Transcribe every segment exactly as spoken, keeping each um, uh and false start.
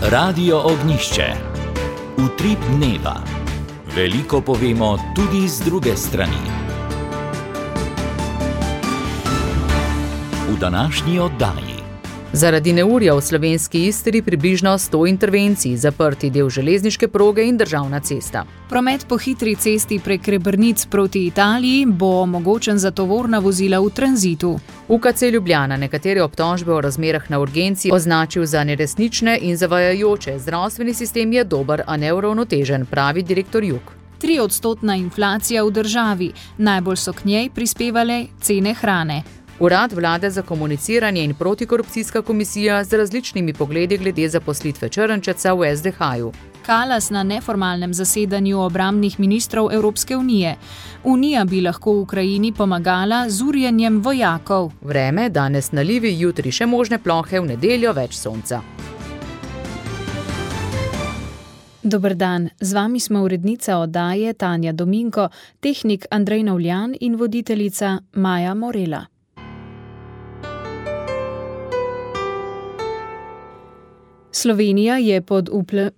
Radio Ognjišče. Utrip dneva. Veliko povemo tudi z druge strani. V današnji oddaji. Zaradi neurja v slovenski Istri približno sto intervencij, zaprti del železniške proge in državna cesta. Promet po hitri cesti prek Rebrnic proti Italiji bo omogočen za tovorna vozila v tranzitu. U K C Ljubljana nekatere obtožbe o razmerah na urgenci označil za neresnične in zavajajoče. Zdravstveni sistem je dober, a neuravnotežen, pravi direktor Jug. Triodstotna inflacija v državi. Najbolj so k njej prispevale cene hrane. Urad vlade za komuniciranje in protikorupcijska komisija z različnimi pogledi glede zaposlitve Črnčeca v S D H-ju. Kalas na neformalnem zasedanju obrambnih ministrov Evropske unije. Unija bi lahko Ukrajini pomagala z urjenjem vojakov. Vreme, danes nalivi, jutri še možne plohe, v nedeljo več sonca. Dober dan, z vami smo urednica oddaje Tanja Dominko, tehnik Andrej Novljan in voditeljica Maja Morela. Slovenija je pod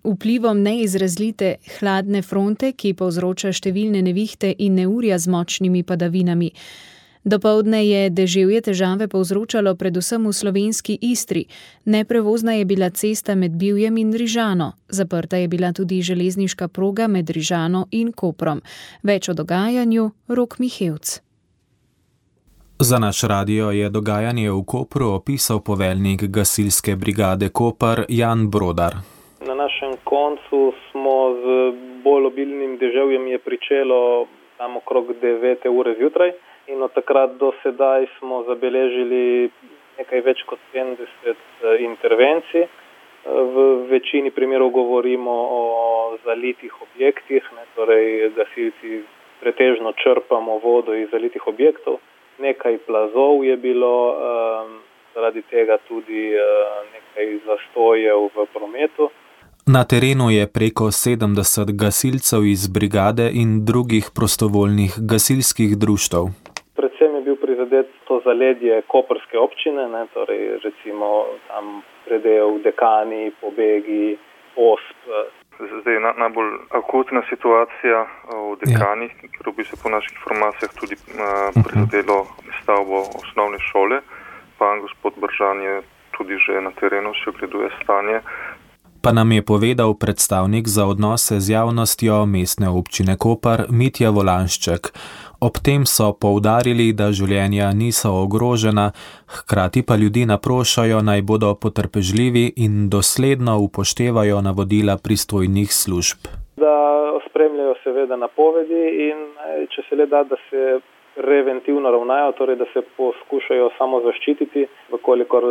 vplivom neizrazite hladne fronte, ki povzroča številne nevihte in neurja z močnimi padavinami. Dopoldne je deževje težave povzročalo predvsem v slovenski Istri. Neprevozna je bila cesta med Bivjem in Rižano. Zaprta je bila tudi železniška proga med Rižano in Koprom. Več o dogajanju Rok Mihevc. Za naš radio je dogajanje v Kopru opisal poveljnik gasilske brigade Koper Jan Brodar. Na našem koncu smo z bolj obilnim deževjem je pričelo tam okrog devete ure zjutraj in od takrat do sedaj smo zabeležili nekaj več kot sedemdeset intervencij. V večini primerov govorimo o zalitih objektih, ne, torej gasilci pretežno črpamo vodo iz zalitih objektov. Nekaj plazov je bilo, um, zaradi tega tudi uh, nekaj zastojev v prometu. Na terenu je preko sedemdeset gasilcev iz brigade in drugih prostovoljnih gasilskih društev. Predvsem je bil prizadet to zaledje koprske občine, ne, torej recimo tam predel Dekani, Pobegi, Osp. Zdaj je najbolj akutna situacija v Dekanih, ja. Ker bi se po naših informacijah tudi uh, prizadelo stavbo osnovne šole. Pan gospod Bržan je tudi že na terenu, še ogleduje stanje. Pa nam je povedal predstavnik za odnose z javnostjo mestne občine Koper Mitja Volanšček. Ob tem so poudarili, da življenja niso ogrožena, hkrati pa ljudi naprošajo, naj bodo potrpežljivi in dosledno upoštevajo navodila pristojnih služb. Da spremljajo seveda napovedi in če se le da, da se preventivno ravnajo, torej da se poskušajo samo zaščititi, vkolikor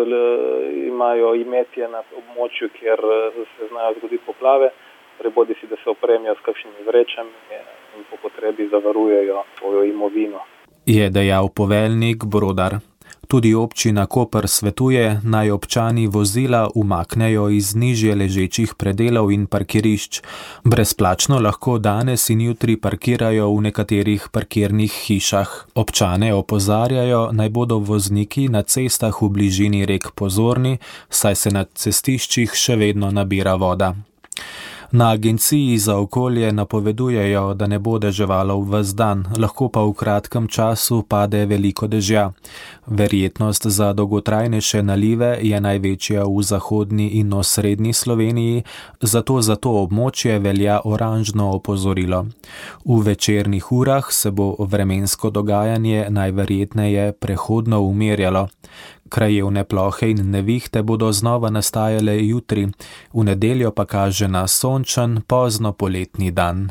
imajo imetje na območju, kjer se znajo zgoditi poplave, torej bodi si, da se opremijo s kakšnimi vrečami in po potrebi zavarujejo svojo imovino. Je dejal poveljnik Brodar. Tudi občina Koper svetuje, naj občani vozila umaknejo iz nižje ležečih predelov in parkirišč. Brezplačno lahko danes in jutri parkirajo v nekaterih parkirnih hišah. Občane opozarjajo, naj bodo vozniki na cestah v bližini rek pozorni, saj se na cestiščih še vedno nabira voda. Na agenciji za okolje napovedujejo, da ne bo deževalo ves dan, lahko pa v kratkem času pade veliko dežja. Verjetnost za dolgotrajnejše nalive je največja v zahodni in osrednji Sloveniji, zato za to območje velja oranžno opozorilo. V večernih urah se bo vremensko dogajanje najverjetneje prehodno umirjalo. Krajevne plohe in nevihte bodo znova nastajale jutri, v nedeljo pa kaže na sončen, pozno poletni dan.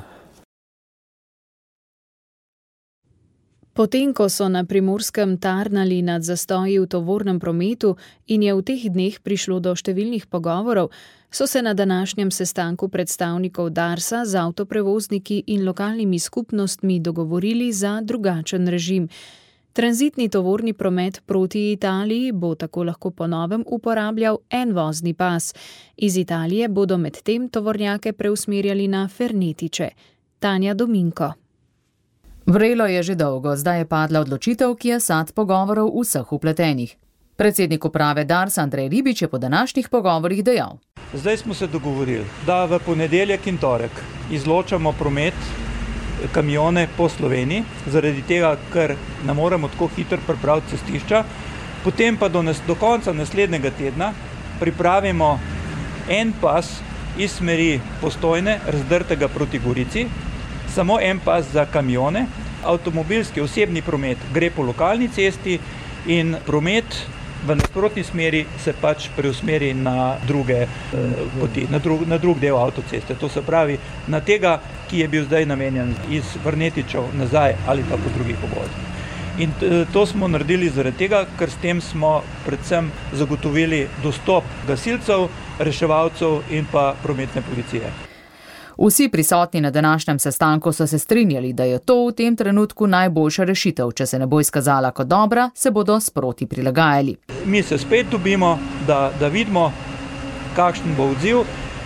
Potem, ko so na Primorskem tarnali nad zastoji v tovornem prometu in je v teh dneh prišlo do številnih pogovorov, so se na današnjem sestanku predstavnikov Darsa z avtoprevozniki in lokalnimi skupnostmi dogovorili za drugačen režim. Tranzitni tovorni promet proti Italiji bo tako lahko po novem uporabljal en vozni pas. Iz Italije bodo medtem tovornjake preusmerjali na Fernetiče. Tanja Dominko. Vrelo je že dolgo, zdaj je padla odločitev, ki je sad pogovorov vseh vpletenih. Predsednik uprave Darsa Andrej Ribič je po današnjih pogovorih dejal. Zdaj smo se dogovorili, da v ponedeljek in torek izločamo promet, kamione po Sloveniji, zaradi tega, ker ne moremo tako hitro pripraviti cestišča. Potem pa do, nas, do konca naslednjega tedna pripravimo en pas iz smeri Postojne, razdrtega proti Gorici, samo en pas za kamione, avtomobilski osebni promet gre po lokalni cesti in promet v nasprotni smeri se pač preusmeri na druge eh, poti, na drug, na drug del avtoceste. To se pravi na tega, ki je bil zdaj namenjen iz Vrnetičev nazaj ali pa po drugih obvozih. In to smo naredili zaradi tega, ker s tem smo predvsem zagotovili dostop gasilcev, reševalcev in pa prometne policije. Vsi prisotni na današnjem sestanku so se strinjali, da je to v tem trenutku najboljša rešitev. Če se ne bo izkazala kot dobra, se bodo sproti prilagajali. Mi se spet dobimo, da, da vidimo, kakšen bo odziv.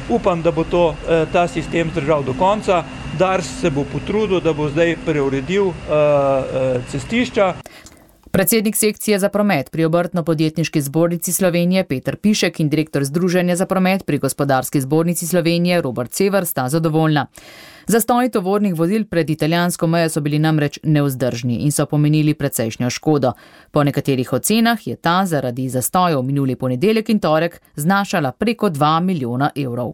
Upam, da bo to, ta sistem zdržal do konca. Dars se bo potrudil, da bo zdaj preuredil uh, cestišča. Predsednik sekcije za promet pri Obrtno-podjetniški zbornici Slovenije Peter Pišek in direktor Združenja za promet pri Gospodarski zbornici Slovenije Robert Sever sta zadovoljna. Zastoji tovornih vozil pred italijansko mejo so bili namreč nevzdržni in so pomenili precejšnjo škodo. Po nekaterih ocenah je ta zaradi zastojev minuli ponedeljek in torek znašala preko dva milijona evrov.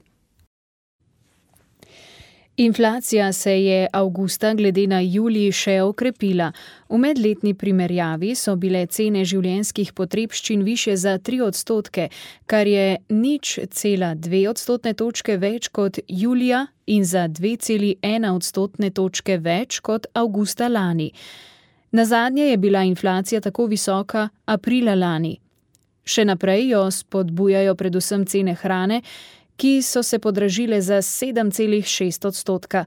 Inflacija se je avgusta glede na julij še okrepila. V medletni primerjavi so bile cene življenjskih potrebščin višje za tri odstotke, kar je nič cela dve odstotne točke več kot julija in za dve celi ena odstotne točke več kot avgusta lani. Nazadnje je bila inflacija tako visoka aprila lani. Še naprej jo spodbujajo predvsem cene hrane, ki so se podražile za sedem celih šest odstotka.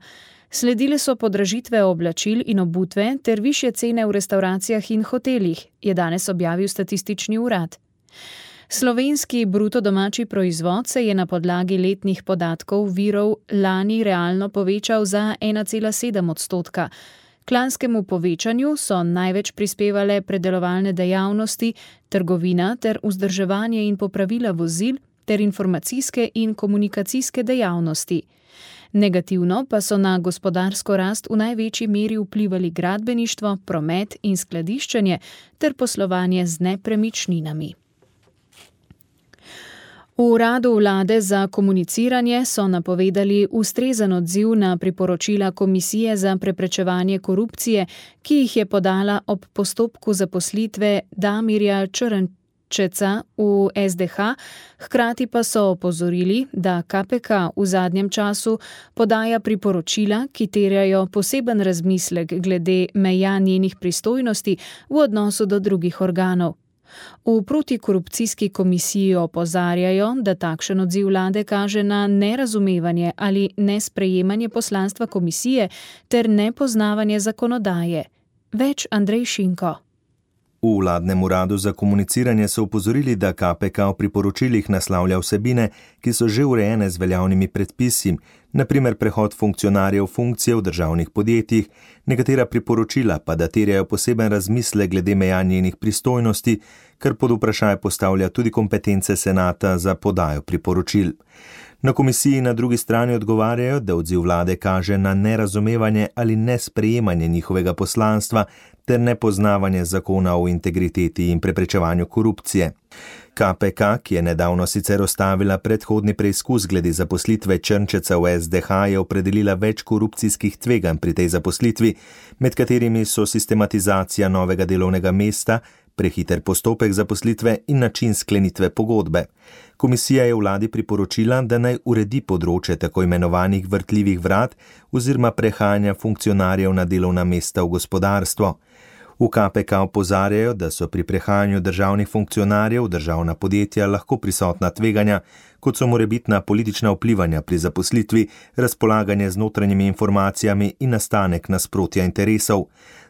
Sledile so podražitve oblačil in obutve ter višje cene v restavracijah in hotelih, je danes objavil statistični urad. Slovenski bruto domači proizvod se je na podlagi letnih podatkov virov lani realno povečal za ena cela sedem odstotka. K lanskemu povečanju so največ prispevale predelovalne dejavnosti, trgovina ter vzdrževanje in popravila vozil, ter informacijske in komunikacijske dejavnosti. Negativno pa so na gospodarsko rast v največji meri vplivali gradbeništvo, promet in skladiščenje ter poslovanje z nepremičninami. V uradu vlade za komuniciranje so napovedali ustrezen odziv na priporočila Komisije za preprečevanje korupcije, ki jih je podala ob postopku zaposlitve Damirja Črnčeca v S D H, hkrati pa so opozorili, da K P K v zadnjem času podaja priporočila, ki terjajo poseben razmislek glede meja njenih pristojnosti v odnosu do drugih organov. V protikorupcijski komisiji opozarjajo, da takšen odziv vlade kaže na nerazumevanje ali nesprejemanje poslanstva komisije ter nepoznavanje zakonodaje. Več Andrej Šinko. V vladnem uradu za komuniciranje so opozorili, da K P K v priporočilih naslavlja vsebine, ki so že urejene z veljavnimi predpisi, na primer prehod funkcionarjev funkcije v državnih podjetjih, nekatera priporočila pa da terjajo poseben razmislek glede meja njenih pristojnosti, kar pod vprašaj postavlja tudi kompetence senata za podajo priporočil. Na komisiji na drugi strani odgovarjajo, da odziv vlade kaže na nerazumevanje ali nesprejemanje njihovega poslanstva ter nepoznavanje zakona o integriteti in preprečevanju korupcije. K P K, ki je nedavno sicer ostavila predhodni preizkus glede zaposlitve Črnčeca v S D H, je opredelila več korupcijskih tveganj pri tej zaposlitvi, med katerimi so sistematizacija novega delovnega mesta, prehiter postopek zaposlitve in način sklenitve pogodbe. Komisija je vladi priporočila, da naj uredi področje tako imenovanih vrtljivih vrat oziroma prehajanja funkcionarjev na delovna mesta v gospodarstvo. V K P K opozarjajo, da so pri prehajanju državnih funkcionarjev v državna podjetja lahko prisotna tveganja, kot so morebitna politična vplivanja pri zaposlitvi, razpolaganje z notranjimi informacijami in nastanek nasprotja interesov.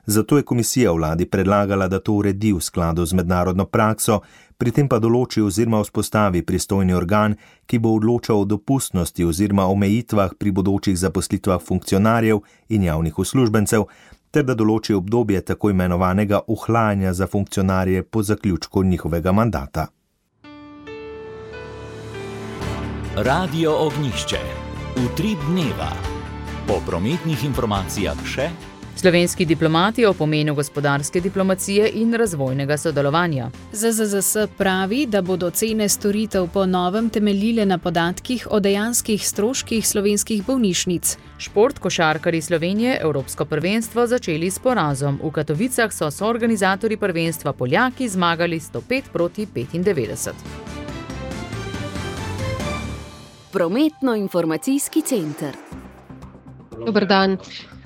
Zato je komisija vladi predlagala, da to uredi v skladu z mednarodno prakso, pri tem pa določi oziroma vzpostavi pristojni organ, ki bo odločal o dopustnosti oziroma omejitvah pri bodočih zaposlitvah funkcionarjev in javnih uslužbencev, ter da določi obdobje tako imenovanega ohlajanja za funkcionarje po zaključku njihovega mandata. Radio Ognjišče. Utrip dneva. Po prometnih informacijah še slovenski diplomati o pomenu gospodarske diplomacije in razvojnega sodelovanja. Z Z Z S pravi, da bodo cene storitev po novem temeljile na podatkih o dejanskih stroških slovenskih bolnišnic. Šport, košarkarji Slovenije, Evropsko prvenstvo začeli s porazom. V Katovicah so soorganizatorji prvenstva Poljaki zmagali sto pet proti petindevetdeset. Prometno-informacijski center. Dober dan.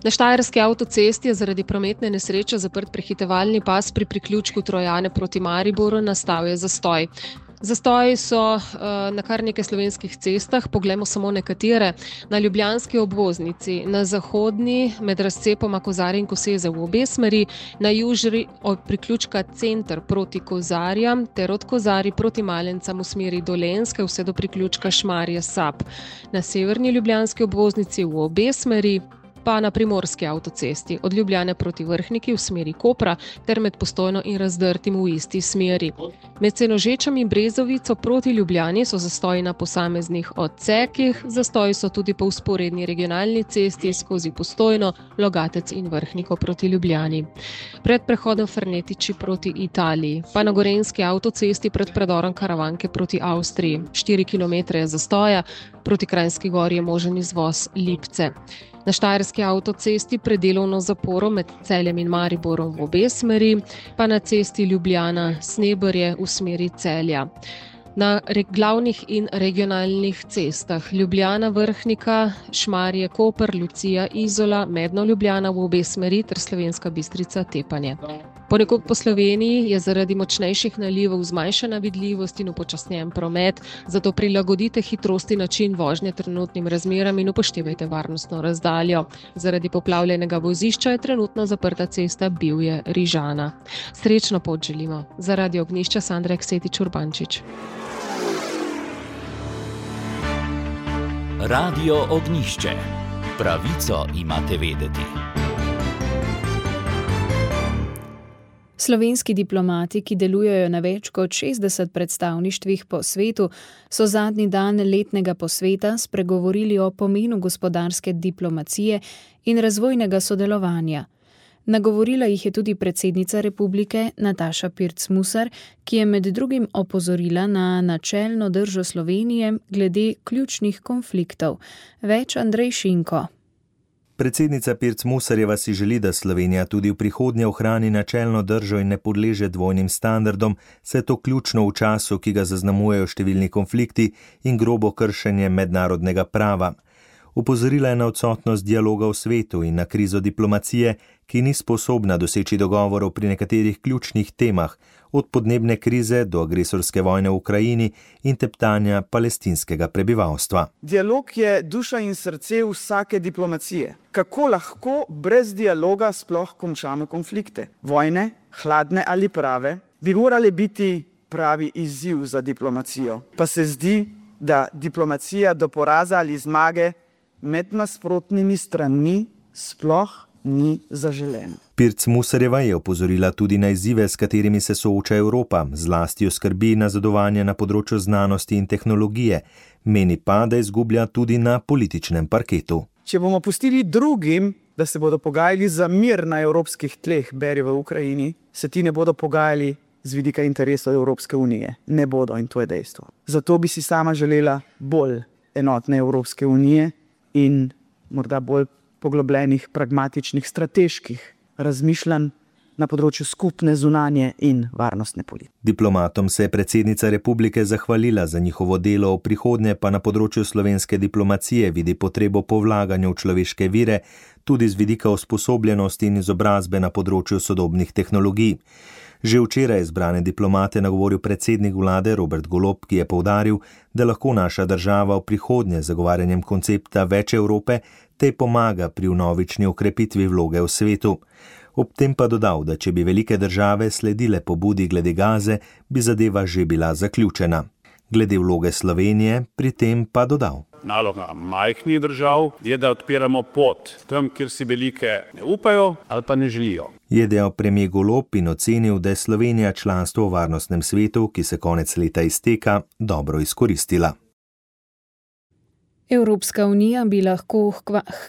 Na Štajerski avtocesti je zaradi prometne nesreče zaprt prehitevalni pas pri priključku Trojane proti Mariboru, nastal je zastoj. Zastoji so uh, na kar nekaj slovenskih cestah, poglejmo samo nekatere. Na ljubljanski obvoznici, na zahodni med razcepoma Kozarje in Koseze v obe smeri, na južni od priključka Center proti Kozarjam ter od Kozarij proti Malencam v smeri Dolenjske vse do priključka Šmarje Sap. Na severni ljubljanski obvoznici v obe smeri, pa na primorski avtocesti, od Ljubljane proti Vrhniki v smeri Kopra ter med Postojno in Razdrtim v isti smeri. Med Senožečem in Brezovico proti Ljubljani so zastoji na posameznih odsekih, zastoji so tudi po vzporedni regionalni cesti skozi Postojno, Logatec in Vrhniko proti Ljubljani. Pred prehodom Fernetiči proti Italiji, pa na Gorenjski avtocesti pred predorom Karavanke proti Avstriji. štiri kilometre je zastoja, proti Kranjski Gori je možen izvoz Lipce. Na Štajerski avtocesti pred delovno zaporo med Celjem in Mariborom v obe smeri, pa na cesti Ljubljana-Sneberje v smeri Celja. Na glavnih in regionalnih cestah Ljubljana-Vrhnika, Šmarje-Koper, Lucija-Izola, Medno-Ljubljana v obe smeri ter Slovenska Bistrica-Tepanje. Ponekod po Sloveniji je zaradi močnejših nalivov zmanjšana vidljivost in upočasnjen promet, zato prilagodite hitrosti način vožnje trenutnim razmeram in upoštevajte varnostno razdaljo. Zaradi poplavljenega vozišča je trenutno zaprta cesta Bivje-Rižana. Srečno pot želimo. Za Radio Ognjišče Sandra Eksetič Urbančič. Radio Ognjišče. Pravico imate vedeti. Slovenski diplomati, ki delujejo na več kot šestdeset predstavništvih po svetu, so zadnji dan letnega posveta spregovorili o pomenu gospodarske diplomacije in razvojnega sodelovanja. Nagovorila jih je tudi predsednica republike Nataša Pirc Musar, ki je med drugim opozorila na načelno držo Slovenije glede ključnih konfliktov. Več Andrej Šinko. Predsednica Pirc Musarjeva si želi, da Slovenija tudi v prihodnje ohrani načelno držo in ne podleže dvojnim standardom, saj je to ključno v času, ki ga zaznamujejo številni konflikti in grobo kršenje mednarodnega prava. Upozorila je na odsotnost dialoga v svetu in na krizo diplomacije, ki ni sposobna doseči dogovorov pri nekaterih ključnih temah, od podnebne krize do agresorske vojne v Ukrajini in teptanja palestinskega prebivalstva. Dialog je duša in srce vsake diplomacije. Kako lahko brez dialoga sploh končamo konflikte? Vojne, hladne ali prave, bi morali biti pravi izziv za diplomacijo. Pa se zdi, da diplomacija do poraza ali zmage med nasprotnimi stranmi sploh ni zaželena. Pirc Musarjeva je opozorila tudi na izzive, s katerimi se sooča Evropa, zlasti jo skrbi nazadovanje na področju znanosti in tehnologije, meni pa, da izgublja tudi na političnem parketu. Če bomo pustili drugim, da se bodo pogajali za mir na evropskih tleh, beri v Ukrajini, se ti ne bodo pogajali z vidika interesov Evropske unije. Ne bodo, in to je dejstvo. Zato bi si sama želela bolj enotne Evropske unije in morda bolj poglobljenih, pragmatičnih, strateških razmišljanj na področju skupne zunanje in varnostne politike. Diplomatom se je predsednica republike zahvalila za njihovo delo, v prihodnje pa na področju slovenske diplomacije vidi potrebo po vlaganju v človeške vire, tudi z vidika usposobljenosti in izobrazbe na področju sodobnih tehnologij. Že včeraj izbrane diplomate nagovoril predsednik vlade Robert Golob, ki je poudaril, da lahko naša država v prihodnje zagovarjanjem koncepta več Evrope tej pomaga pri vnovični okrepitvi vloge v svetu. Ob tem pa dodal, da če bi velike države sledile pobudi glede Gaze, bi zadeva že bila zaključena. Glede vloge Slovenije pri tem pa dodal. Naloga majhnih držav je, da odpiramo pot tam, kjer si velike ne upajo ali pa ne želijo. Je dejal premier Golob in ocenil, da je Slovenija članstvo v varnostnem svetu, ki se konec leta izteka, dobro izkoristila. Evropska unija bi lahko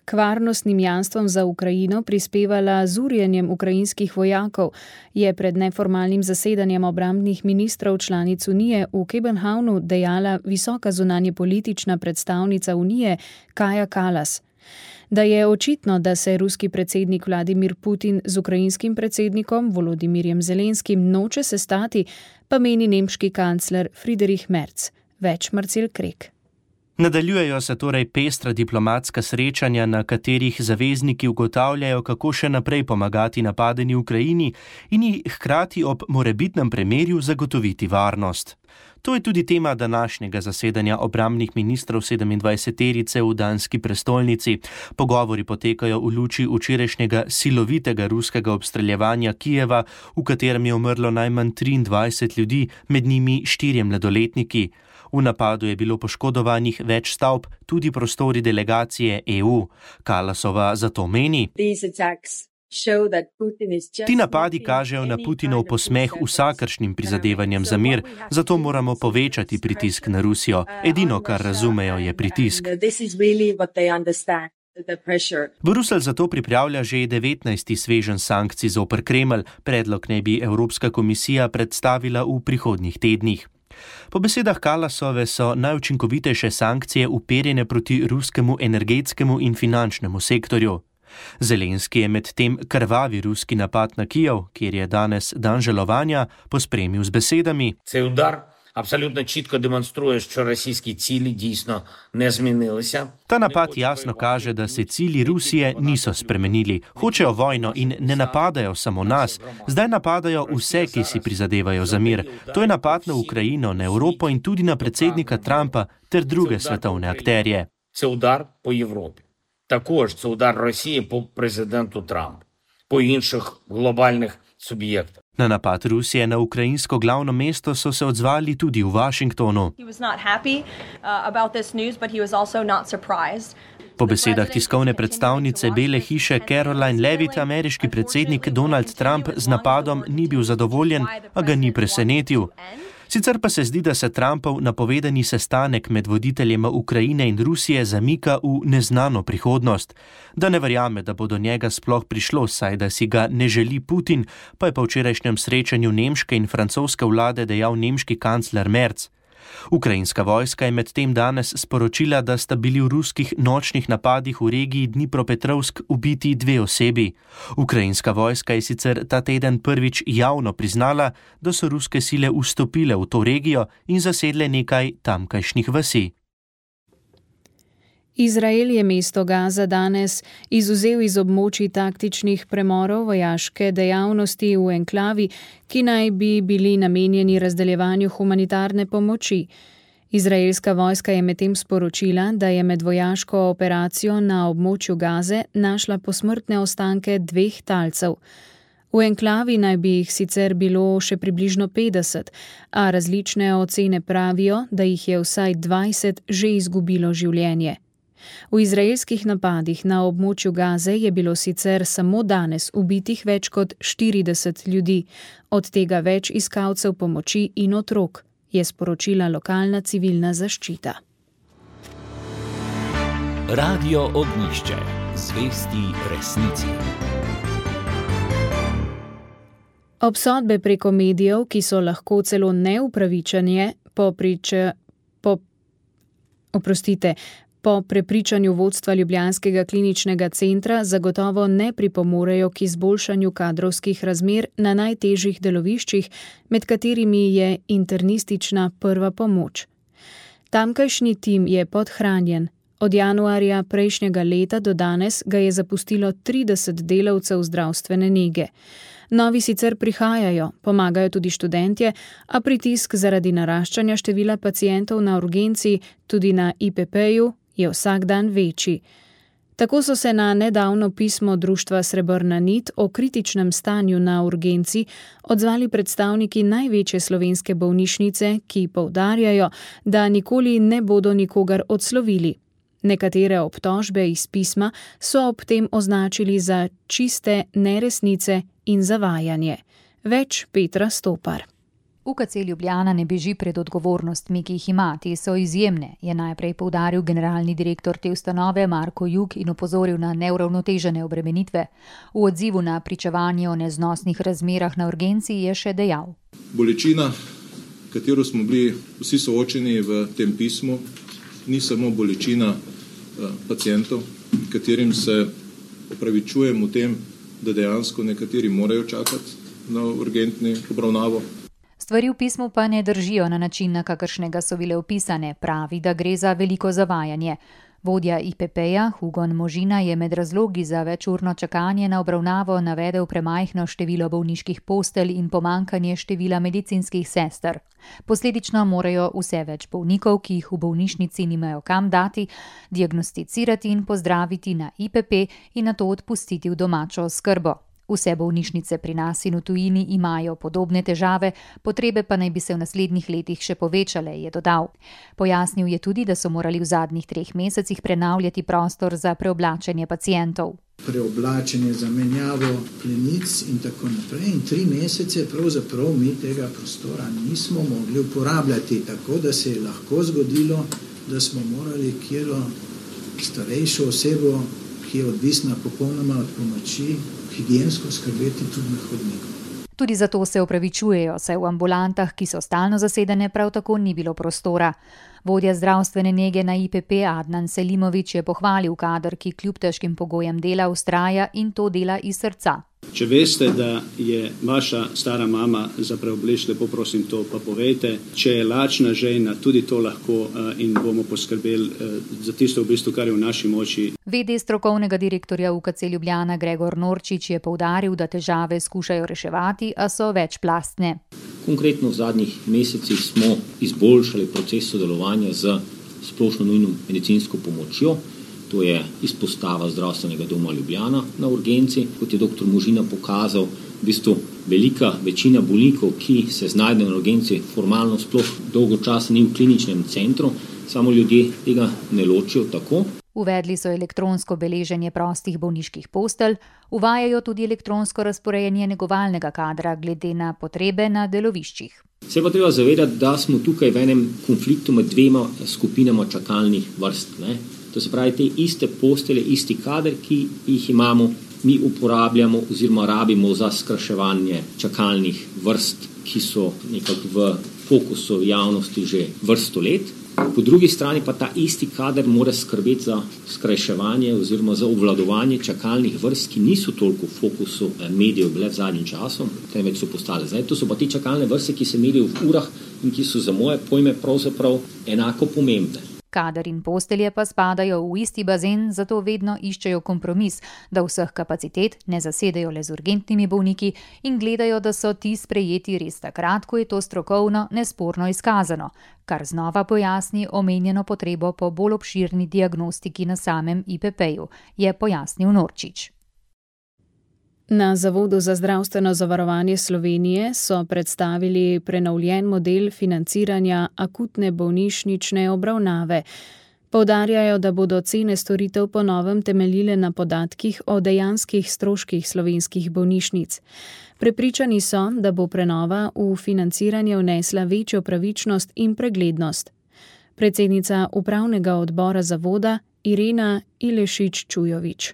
k varnostnim jamstvom za Ukrajino prispevala z urjenjem ukrajinskih vojakov, je pred neformalnim zasedanjem obrambnih ministrov članic Unije v Kopenhavnu dejala visoka zunanjepolitična predstavnica Unije Kaja Kallas. Da je očitno, da se ruski predsednik Vladimir Putin z ukrajinskim predsednikom Volodimirjem Zelenskim noče sestati, pa meni nemški kancler Friedrich Merz. Več Marcel Krek. Nadaljujejo se torej pestra diplomatska srečanja, na katerih zavezniki ugotavljajo, kako še naprej pomagati napadeni Ukrajini in ji hkrati ob morebitnem premirju zagotoviti varnost. To je tudi tema današnjega zasedanja obrambnih ministrov sedemindvajseterice v danski prestolnici. Pogovori potekajo v luči včerajšnjega silovitega ruskega obstreljevanja Kijeva, v katerem je umrlo najmanj triindvajset ljudi, med njimi štirje mladoletniki. V napadu je bilo poškodovanih več stavb, tudi prostori delegacije E U. Kallasova zato meni: Ti napadi kažejo na Putinov posmeh vsakršnim prizadevanjem za mir, zato moramo povečati pritisk na Rusijo. Edino, kar razumejo, je pritisk. Bruselj zato pripravlja že devetnajsti sveženj sankcij zoper Kremelj. Predlog naj bi Evropska komisija predstavila v prihodnjih tednih. Po besedah Kallasove so najučinkovitejše sankcije uperjene proti ruskemu energetskemu in finančnemu sektorju. Zelenski je med tem krvavi ruski napad na Kijev, kjer je danes dan žalovanja, pospremil z besedami: Цей удар абсолютно чітко демонструє, що російські цілі дійсно не змінилися. Ta napad jasno kaže, da se cilji Rusije niso spremenili. Hočejo vojno in ne napadajo samo nas. Zdaj napadajo vse, ki si prizadevajo za mir. To je napad na Ukrajino, na Evropo in tudi na predsednika Trumpa ter druge svetovne akterje. Це удар по Європі. Також це удар Росії по президенту Трампу, по інших глобальних суб'єктах. Na napad Rusije na ukrajinsko glavno mesto so se odzvali tudi v Washingtonu. Po besedah tiskovne predstavnice Bele hiše Caroline Levitt, ameriški predsednik Donald Trump z napadom ni bil zadovoljen, a ga ni presenetil. Sicer pa se zdi, da se Trumpov napovedani sestanek med voditeljema Ukrajine in Rusije zamika v neznano prihodnost. Da ne verjame, da bo do njega sploh prišlo, saj da si ga ne želi Putin, pa je po včerajšnjem srečanju nemške in francoske vlade dejal nemški kancler Merz. Ukrajinska vojska je medtem danes sporočila, da sta bili v ruskih nočnih napadih v regiji Dnipropetrovsk ubiti dve osebi. Ukrajinska vojska je sicer ta teden prvič javno priznala, da so ruske sile vstopile v to regijo in zasedle nekaj tamkajšnjih vasi. Izrael je mesto Gaza danes izvzel iz območij taktičnih premorov vojaške dejavnosti v enklavi, ki naj bi bili namenjeni razdeljevanju humanitarne pomoči. Izraelska vojska je medtem sporočila, da je med vojaško operacijo na območju Gaze našla posmrtne ostanke dveh talcev. V enklavi naj bi jih sicer bilo še približno petdeset, a različne ocene pravijo, da jih je vsaj dvajset že izgubilo življenje. V izraelskih napadih na območju Gaze je bilo sicer samo danes ubitih več kot štirideset ljudi, od tega več iskalcev pomoči in otrok, je sporočila lokalna civilna zaščita. Radio Ognjišče, zvesti resnici. Obsodbe preko medijev, ki so lahko celo neupravičene, po priče, po, oprostite, Po prepričanju vodstva ljubljanskega kliničnega centra zagotovo ne pripomorejo k izboljšanju kadrovskih razmer na najtežjih deloviščih, med katerimi je internistična prva pomoč. Tamkajšnji tim je podhranjen. Od januarja prejšnjega leta do danes ga je zapustilo trideset delavcev zdravstvene nege. Novi sicer prihajajo, pomagajo tudi študentje, a pritisk zaradi naraščanja števila pacientov na urgenci, tudi na I P P-ju, je vsak dan večji. Tako so se na nedavno pismo društva Srebrna nit o kritičnem stanju na urgenci odzvali predstavniki največje slovenske bolnišnice, ki poudarjajo, da nikoli ne bodo nikogar odslovili. Nekatere obtožbe iz pisma so ob tem označili za čiste neresnice in zavajanje. Več Petra Stopar. U K C Ljubljana ne beži pred odgovornostmi, ki jih ima, te so izjemne, je najprej poudaril generalni direktor te ustanove Marko Jug in opozoril na neuravnotežene obremenitve. V odzivu na pričevanje o neznosnih razmerah na urgenci je še dejal. Bolečina, katero smo bili vsi soočeni v tem pismu, ni samo bolečina pacientov, katerim se opravičujem v tem, da dejansko nekateri morajo čakati na urgentni obravnavo. Stvari v pismu pa ne držijo na način, na kakršnega so bile opisane, pravi, da gre za veliko zavajanje. Vodja I P P-ja Hugon Možina je med razlogi za večurno čakanje na obravnavo navedel premajhno število bolniških postelj in pomankanje števila medicinskih sester. Posledično morajo vse več bolnikov, ki jih v bolnišnici nimajo kam dati, diagnosticirati in pozdraviti na I P P in nato odpustiti v domačo oskrbo. Vse bolnišnice pri nas in v tujini imajo podobne težave, potrebe pa naj bi se v naslednjih letih še povečale, je dodal. Pojasnil je tudi, da so morali v zadnjih treh mesecih prenavljati prostor za preoblačenje pacientov. Preoblačenje, zamenjavo plenic in tako naprej. In tri mesece pravzaprav mi tega prostora nismo mogli uporabljati, tako da se je lahko zgodilo, da smo morali kjero starejšo osebo, ki je odvisna popolnoma od pomoči, higiensko skrbeti tudi na hodniku. Tudi zato se opravičujejo, saj v ambulantah, ki so stalno zasedene, prav tako ni bilo prostora. Vodja zdravstvene nege na I P P Adnan Selimović je pohvalil kader, ki kljub težkim pogojem dela vztraja in to dela iz srca. Če veste, da je vaša stara mama za preobleč, lepo prosim to pa povejte. Če je lačna žena, tudi to lahko in bomo poskrbeli za tisto v bistvu, kar je v naši moči. V D strokovnega direktorja U K C Ljubljana Gregor Norčič je poudaril, da težave skušajo reševati, a so večplastne. Konkretno v zadnjih mesecih smo izboljšali proces sodelovanja z splošno nujno medicinsko pomočjo. To je izpostava zdravstvenega doma Ljubljana na urgenci. Kot je doktor Možina pokazal, v bistvu velika večina bolnikov, ki se znajdejo na urgenci, formalno sploh dolgo časa ni v kliničnem centru, samo ljudje tega ne ločijo tako. Uvedli so elektronsko beleženje prostih bolniških postelj, uvajajo tudi elektronsko razporejanje negovalnega kadra glede na potrebe na deloviščih. Se pa treba zavedati, da smo tukaj v enem konfliktu med dvema skupinama čakalnih vrst. Ne? To se pravi, te iste postelje, isti kader, ki jih imamo, mi uporabljamo oziroma rabimo za skrajševanje čakalnih vrst, ki so nekako v fokusu javnosti že vrsto let. Po drugi strani pa ta isti kader mora skrbeti za skrajševanje oziroma za obvladovanje čakalnih vrst, ki niso toliko v fokusu medijev bile v zadnjim časom, temveč so postale. Zdaj, to so pa te čakalne vrste, ki se merijo v urah in ki so za moje pojme pravzaprav enako pomembne. Kader in postelje pa spadajo v isti bazen, zato vedno iščejo kompromis, da vseh kapacitet ne zasedejo le z urgentnimi bolniki in gledajo, da so ti sprejeti res takrat, ko je to strokovno nesporno izkazano, kar znova pojasni omenjeno potrebo po bolj obširni diagnostiki na samem I P P-ju, je pojasnil Norčič. Na Zavodu za zdravstveno zavarovanje Slovenije so predstavili prenovljen model financiranja akutne bolnišnične obravnave. Poudarjajo, da bodo cene storitev po novem temeljile na podatkih o dejanskih stroških slovenskih bolnišnic. Prepričani so, da bo prenova v financiranje vnesla večjo pravičnost in preglednost. Predsednica upravnega odbora zavoda Irena Ilešič-Čujovič.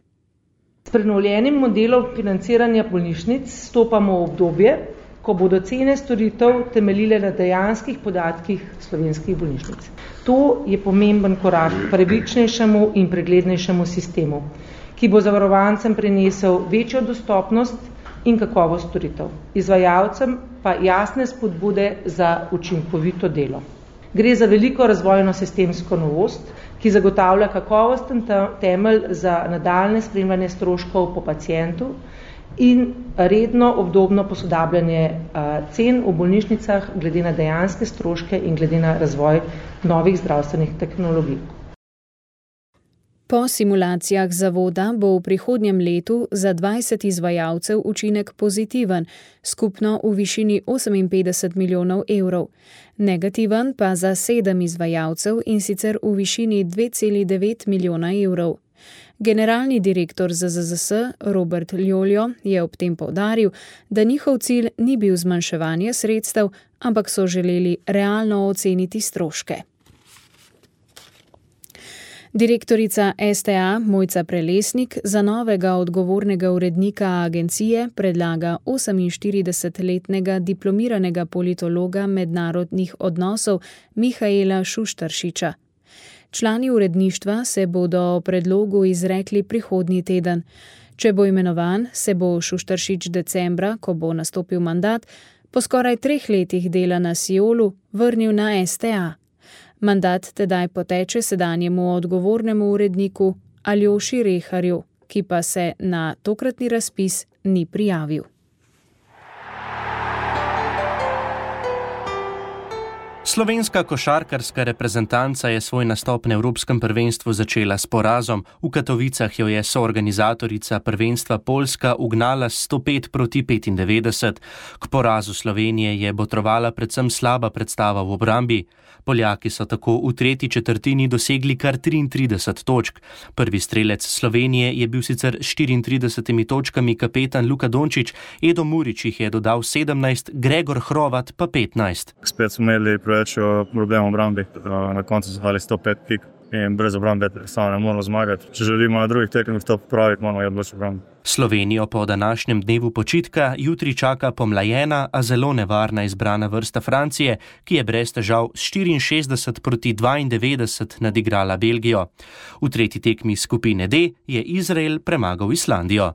S prenovljenim modelom financiranja bolnišnic stopamo v obdobje, ko bodo cene storitev temeljile na dejanskih podatkih slovenskih bolnišnic. To je pomemben korak k pravičnejšemu in preglednejšemu sistemu, ki bo zavarovancem prinesel večjo dostopnost in kakovost storitev, izvajalcem pa jasne spodbude za učinkovito delo. Gre za veliko razvojno sistemsko novost, ki zagotavlja kakovosten temelj za nadaljne spremljanje stroškov po pacientu in redno obdobno posodabljanje cen v bolnišnicah glede na dejanske stroške in glede na razvoj novih zdravstvenih tehnologij. Po simulacijah zavoda bo v prihodnjem letu za dvajset izvajalcev učinek pozitiven, skupno v višini oseminpetdeset milijonov evrov. Negativen pa za sedem izvajalcev in sicer v višini dve celi devet milijona evrov. Generalni direktor Z Z Z S Robert Ljoljo je ob tem poudaril, da njihov cilj ni bil zmanjševanje sredstev, ampak so želeli realno oceniti stroške. Direktorica S T A Mojca Prelesnik za novega odgovornega urednika agencije predlaga oseminštiridesetletnega diplomiranega politologa mednarodnih odnosov Mihaela Šuštaršiča. Člani uredništva se bodo o predlogu izrekli prihodnji teden. Če bo imenovan, se bo Šuštaršič decembra, ko bo nastopil mandat, po skoraj treh letih dela na Siolu vrnil na S T A. Mandat tedaj poteče sedanjemu odgovornemu uredniku Aljoši Reharju, ki pa se na tokratni razpis ni prijavil. Slovenska košarkarska reprezentanca je svoj nastop na Evropskem prvenstvu začela s porazom. V Katovicah jo je soorganizatorica prvenstva Poljska ugnala s sto pet proti petindevetdeset. K porazu Slovenije je botrovala predvsem slaba predstava v obrambi. Poljaki so tako v tretji četrtini dosegli kar triintrideset točk. Prvi strelec Slovenije je bil sicer s štiriintridesetimi točkami kapetan Luka Dončić, Edo Murić jih je dodal sedemnajst, Gregor Hrovat pa petnajst. Spet smo imeli preveč problemov v obrambi, na koncu so dali sto pet pik in brez obrambe samo ne moramo zmagati. Če želimo na drugih tekmah to popraviti, moramo je odločiti obrambe. Slovenijo po današnjem dnevu počitka jutri čaka pomlajena, a zelo nevarna izbrana vrsta Francije, ki je brez težav s štiriinšestdeset proti dvaindevetdeset nadigrala Belgijo. V tretji tekmi skupine D je Izrael premagal Islandijo.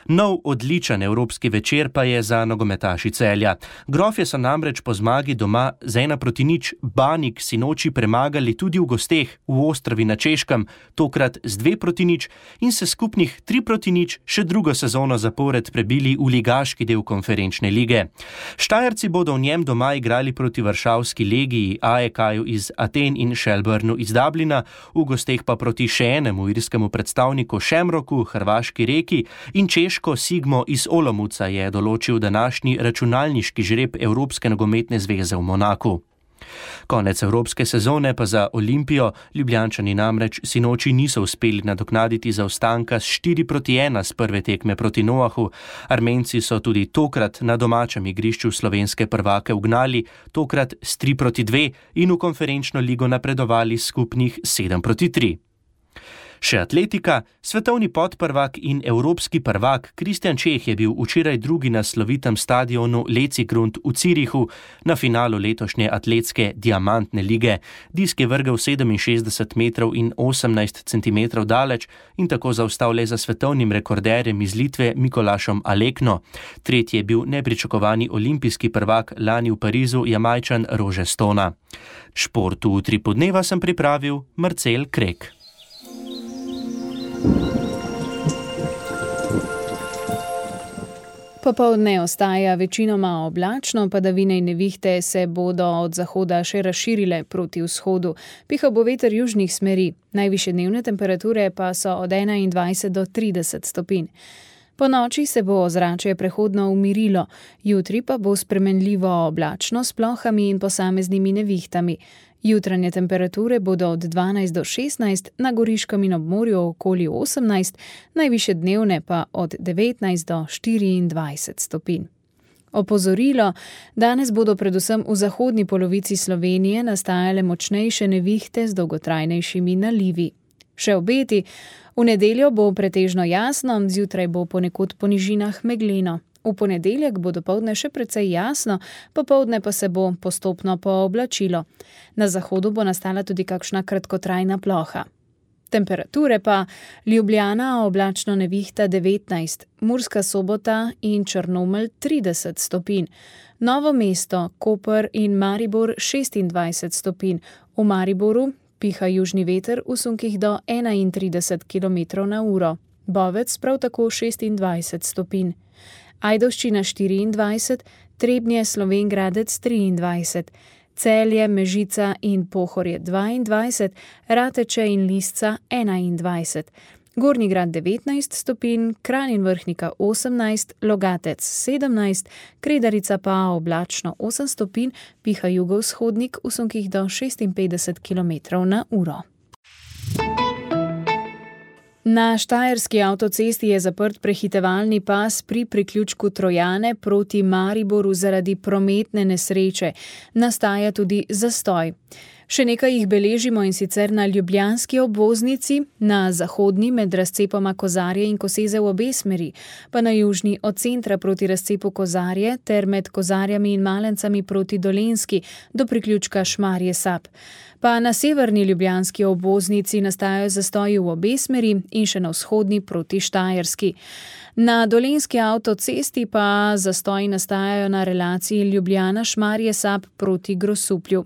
Nov odličen evropski večer pa je za nogometaši Celja. Grofje so namreč po zmagi doma z ena proti nič Banik sinoči premagali tudi v gosteh v Ostrovi na Češkem, tokrat z dve proti nič in se skupnih tri proti nič še drugo sezono zapored prebili v ligaški del konferenčne lige. Štajerci bodo v njem doma igrali proti Varšavski Legiji, A E K-ju iz Aten in Shelburnu iz Dublina, v gosteh pa proti še enemu irskemu predstavniku Shamrocku, Hrvaški Reki in Češko Sigmo iz Olomouca je določil današnji računalniški žreb Evropske nogometne zveze v Monaku. Konec evropske sezone pa za Olimpijo, Ljubljančani namreč sinoči niso uspeli nadoknaditi zaostanka s štiri proti ena z prve tekme proti Noahu. Armenci so tudi tokrat na domačem igrišču slovenske prvake ugnali, tokrat s tri proti dve in v konferenčno ligo napredovali skupnih sedem proti tri. Še atletika, svetovni podprvak in evropski prvak Kristjan Čeh je bil včeraj drugi na slovitem stadionu Lecigrund v Zürichu na finalu letošnje atletske diamantne lige. Disk je vrgel sedeminšestdeset metrov in osemnajst centimetrov daleč in tako zaostal le za svetovnim rekorderjem iz Litve Mikolašom Alekno. Tretji je bil nepričakovani olimpijski prvak lani v Parizu Jamajčan Rože Stona. Športu v Utripu dneva sem pripravil Marcel Krek. Popoldne ostaja večinoma oblačno, padavine in nevihte se bodo od zahoda še razširile proti vzhodu. Pihal bo veter južnih smeri, najvišje dnevne temperature pa so od enaindvajset do trideset stopinj. Po noči se bo ozračje prehodno umirilo, jutri pa bo spremenljivo oblačno s plohami in posameznimi nevihtami. Jutranje temperature bodo od dvanajst do šestnajst, na Goriškem in ob morju okoli osemnajst, najvišje dnevne pa od devetnajst do štiriindvajset stopinj. Opozorilo, danes bodo predvsem v zahodni polovici Slovenije nastajale močnejše nevihte z dolgotrajnejšimi nalivi. Še obeti, v nedeljo bo pretežno jasno, zjutraj bo ponekod po nižinah megleno. V ponedeljek bo dopoldne še precej jasno, popoldne pa se bo postopno pooblačilo. Na zahodu bo nastala tudi kakšna kratkotrajna ploha. Temperature pa Ljubljana oblačno nevihta devetnajst, Murska Sobota in Črnomelj trideset stopinj, Novo mesto, Koper in Maribor šestindvajset stopinj, v Mariboru piha južni veter v sunkih do enaintrideset kilometrov na uro, Bovec prav tako šestindvajset stopinj. Ajdovščina štiriindvajset, Trebnje, Slovenj Gradec triindvajset, Celje, Mežica in Pohorje dvaindvajset, Rateče in Lisca enaindvajset, Gornji Grad devetnajst stopinj, Kranj in Vrhnika osemnajst, Logatec sedemnajst, Kredarica pa oblačno osem stopinj, piha jugovzhodnik v sunkih do šestinpetdeset kilometrov na uro. Na štajerski avtocesti je zaprt prehitevalni pas pri priključku Trojane proti Mariboru zaradi prometne nesreče. Nastaja tudi zastoj. Še nekaj jih beležimo, in sicer na ljubljanski obvoznici, na zahodni med razcepoma Kozarje in Koseze v obe smeri, pa na južni od centra proti razcepu Kozarje ter med Kozarjami in Malencami proti Dolenjski do priključka Šmarje Sap. Pa na severni ljubljanski obvoznici nastajajo zastoji v obe smeri in še na vzhodni proti Štajerski. Na dolenjski avtocesti pa zastoji nastajajo na relaciji Ljubljana-Šmarje Sap proti Grosuplju.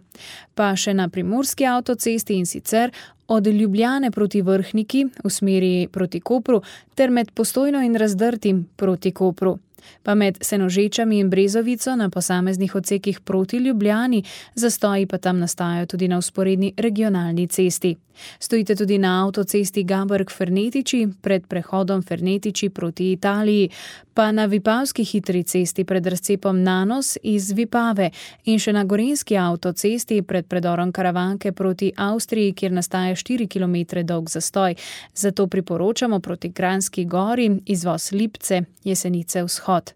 Pa še na primorski avtocesti, in sicer od Ljubljane proti Vrhniki v smeri proti Kopru ter med Postojno in Razdrtim proti Kopru. Pa med Senožečami in Brezovico na posameznih odsekih proti Ljubljani, zastoji pa tam nastajajo tudi na vzporedni regionalni cesti. Stojite tudi na avtocesti Gaberg-Fernetiči pred prehodom Fernetiči proti Italiji, pa na Vipavski hitri cesti pred razcepom Nanos iz Vipave in še na gorenjski avtocesti pred predorom Karavanke proti Avstriji, kjer nastaja štiri kilometre dolg zastoj. Zato priporočamo proti Kranjski gori izvoz Lipce, Jesenice vzhod.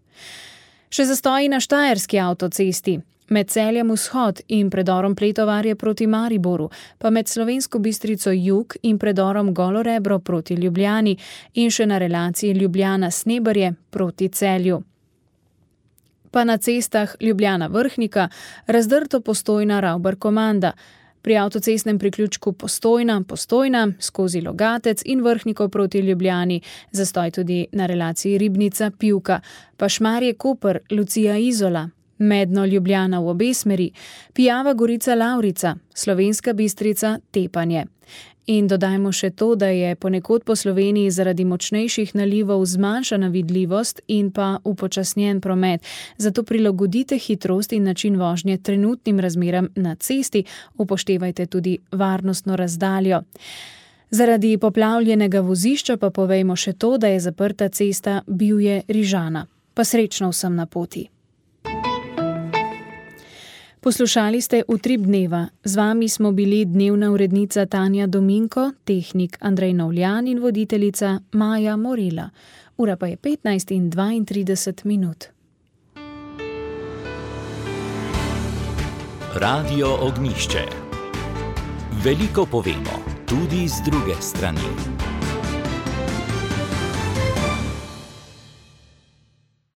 Še zastoji na štajerski avtocesti. Med Celjem vzhod in predorom Pletovarje proti Mariboru, pa med Slovensko Bistrico jug in predorom Golorebro proti Ljubljani in še na relaciji Ljubljana-Sneberje proti Celju. Pa na cestah Ljubljana-Vrhnika, Razdrto Postojna Ravbar-Komanda, pri avtocestnem priključku Postojna, Postojna, skozi Logatec in Vrhnikov proti Ljubljani, zastoj tudi na relaciji Ribnica-Pivka, pa Šmarje Koper, Lucija Izola, Medno Ljubljana v obe smeri, Pijava Gorica Lavrica, Slovenska Bistrica Tepanje. In dodajmo še to, da je ponekod po Sloveniji zaradi močnejših nalivov zmanjšana vidljivost in pa upočasnjen promet. Zato prilagodite hitrost in način vožnje trenutnim razmeram na cesti, upoštevajte tudi varnostno razdaljo. Zaradi poplavljenega vozišča pa povejmo še to, da je zaprta cesta Bivje-Rižana. Pa srečno vsem na poti. Poslušali ste Utrip dneva. Z vami smo bili dnevna urednica Tanja Dominko, tehnik Andrej Novljan in voditeljica Maja Morela. Ura pa je petnajst in dvaintrideset minut. Radio Ognjišče. Veliko povemo, tudi z druge strani.